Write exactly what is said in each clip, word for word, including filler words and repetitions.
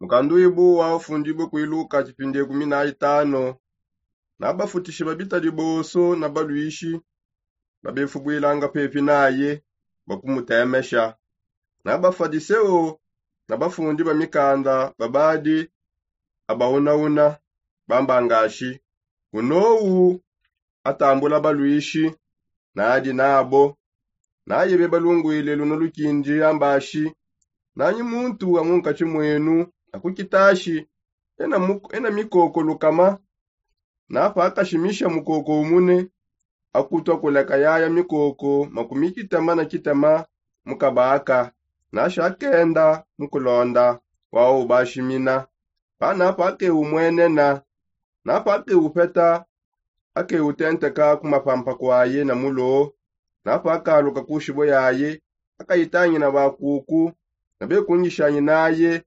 Mukanduibu wa ufundibue kuiluka tshipindi ekumi na itano. Nabafutishe babitadi bonso na baluishi babefubwilanga pepi naye bakumutemesha. Na bafadiseo na bafundi ba mikanda babadi abauna-una bambangashi, unowu atambula baluishi nadi nabo. Naye bebalungwile luno lukindi ambashi, nanyi muntu wa munkatshi mwenu akukitashi ena mikoko lukama? Napakashimisha mukoko umune, akutua kuleka yaya mikoko makumi kitema na kitema mukabaka. Nasha akenda mukulonda wau ubashimina. Pana pakeumwenena, na pakeupeta akeutenteka kumapampa kwaye na mulo. Na pakaluka kushibo yaye, akayitangina bakuku na bekungishanyi naye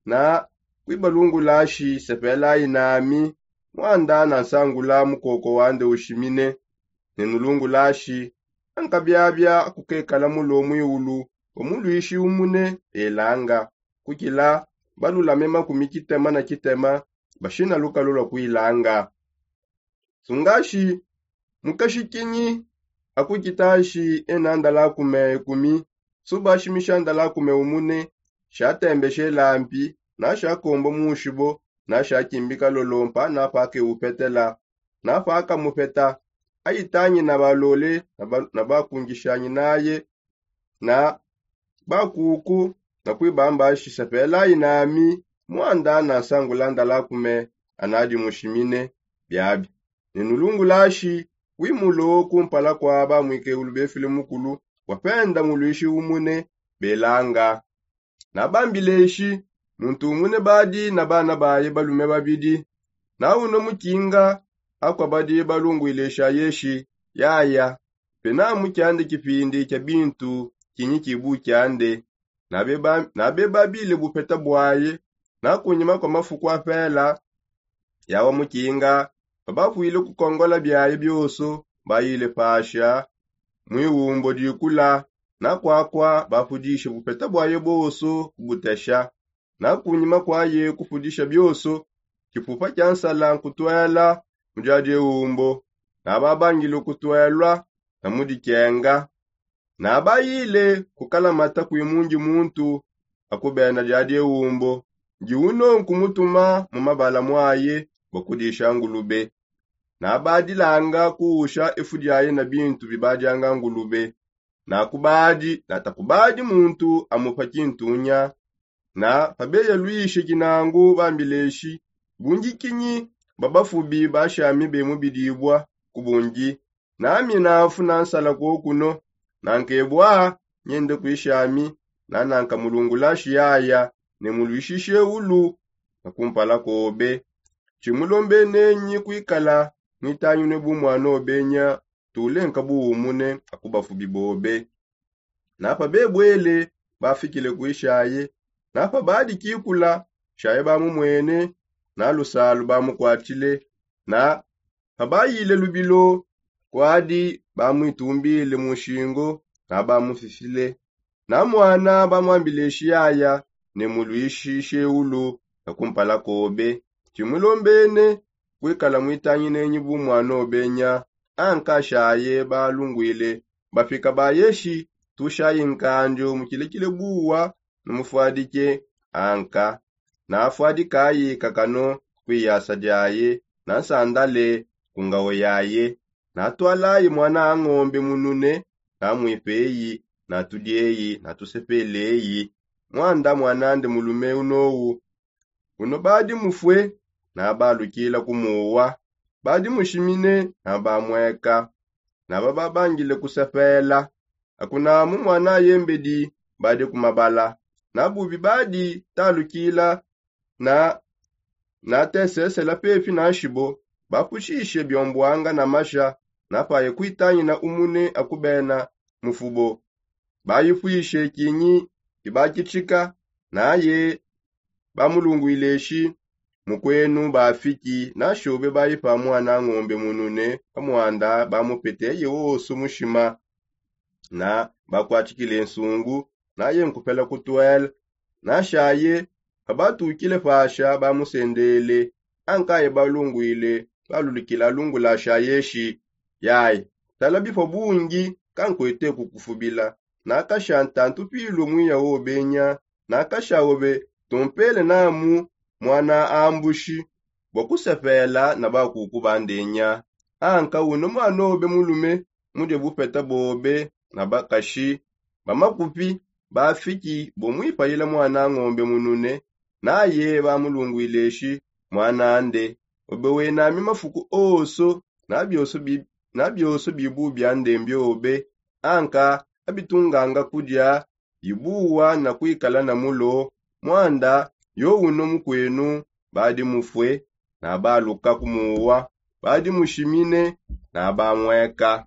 na kuibalungulashi sepelayi nami, mwanda nansangula mukoko wande ushimine. Nenulungulashi ankabiabia akukekala mulo mwiulu wa muluishi umune elanga kukila balulame makumi kitema na kitema bashina lukalu lwa kuilanga. Sungashi mukashikinyi akukitashi ena ndalakume ekumi? Subashimisha ndalakume umune, shatembeshe lampi nashakombo mushibo, nashakimbika lolompa na pakeupetela. Na pakamupeta, ayitangi na balole na bakungishanyi naye na bakuku na kuibamba shisepelayi nami, mwanda nansangula ndalakume anadi mushimine. Biabi nenulungulashi wimulo kumpala kwa bamwikeulu befile mukulu wapenda muluishi umune belanga. Nabambileshi muntu umune badi na bana baye balume babidi, na uno mukinga akwa badi balungwilesha yeshi yaya, pena mukiande kipindi kia bintu kinyi kibu kiande. Nabebabile bupeta bwaye. Na kunyima kwa mafuku apela yawa mukinga babapwile kukongola biaye bioso bayile pasha mwiwumbo dikula. Na kwakwa bapudishe bupeta bwaye boso kubutesha. Na kunyima kwaye kupudisha bioso, kipupa kia nsala nkutwela mu diadi ewumbo. Na babangile kutwelwa na mu dikenga. Na bayile kukalamata kwimungi muntu akubena diadi ewumbo, ndi uno nkumutuma mu mabala mwaye bakudisha ngulube. Na badilanga kuusha efu diaye na bintu bibadianga ngulube. Na kubadi na takubadi muntu amupa kintunya. Na pabeyalwishe kinangu bambileshi, bungi kinyi babafubi bashami bemubidibua kubungi? Nami nafuna nsala kokuno. Na nkebwa nyende kuishami. Na nankamulungulashi yaya ne mulwishishe ulu na kumpala kobe. Tshimulombenenyi kuikala mwitanyinue bu mwana obenya tulenka buumune akubafubi bobe. Na pabebwele bafikile kuishaye. Na pabadi kikula shaye bamumwene. Na lusalu bamukwatile. Na pabayile lubilo kwadi bamwitumbile mu nshingo na bamufifile. Na mwana bamwambileshi yaya ne mulwishishe ulu na kumpala kobe. Tshimulombene kuikala mwitanginenyi bu mwana obenya. Anka shaye balungwile bapika bayeshi tushayi nkandio mukilekile buwa na mufwadike. Anka nafwadikayi kakano kuiyasa diaye na nsandale ku ngawo yaye. Natwalayi mwana a ngombe munune na mwipeyi na tudieyi na tusepeleyi. Mwanda mwanande mulume unowu uno badi mufue na balukila kumuwa. Badi mushimine na bamweka na bababangile kusepela. Akunamu mwana yembedi badi kumabala na bubi badi talukila na natesesela pepi na nshibo. Bapushishe biombwanga na masha na paye kuitangina umune akubena mufubo. Bayipwishe kinyi ibakitshika naye bamulungwileshi mukwenu bafiki na shobe bayipa mwana ngombe munune pa mwanda bamupeteye wosu mushima. Na bakwatshikile nsungu naye nkupela kutwela na shaye Babatukile pasha bamusendele, ankaye balungwile balulukila lungulasha yeshi. Yayi, tala bifua bungi, kankwete kukufubila. Nakasha ntantu pilu mwiya wobenya, nakasha obe tumpele namu mwana ambushi bua kusepela na bakuku bandenya. Anka uno mwana obe mulume mudie bupeta bobe na bakashi ba makupi bafiki bo muipayila mwana ngombe munune, naye bamulungwileshi mwana ande. Obe wenami mafuku oso na bioso bi- na bioso bibu bia ndembi obe. Anka abitunganga kudia bibuwa na kuikala na mulo. Mwanda yo uno mukwenu badi mufue na baluka kumuwa, badi mushimine na bamweka.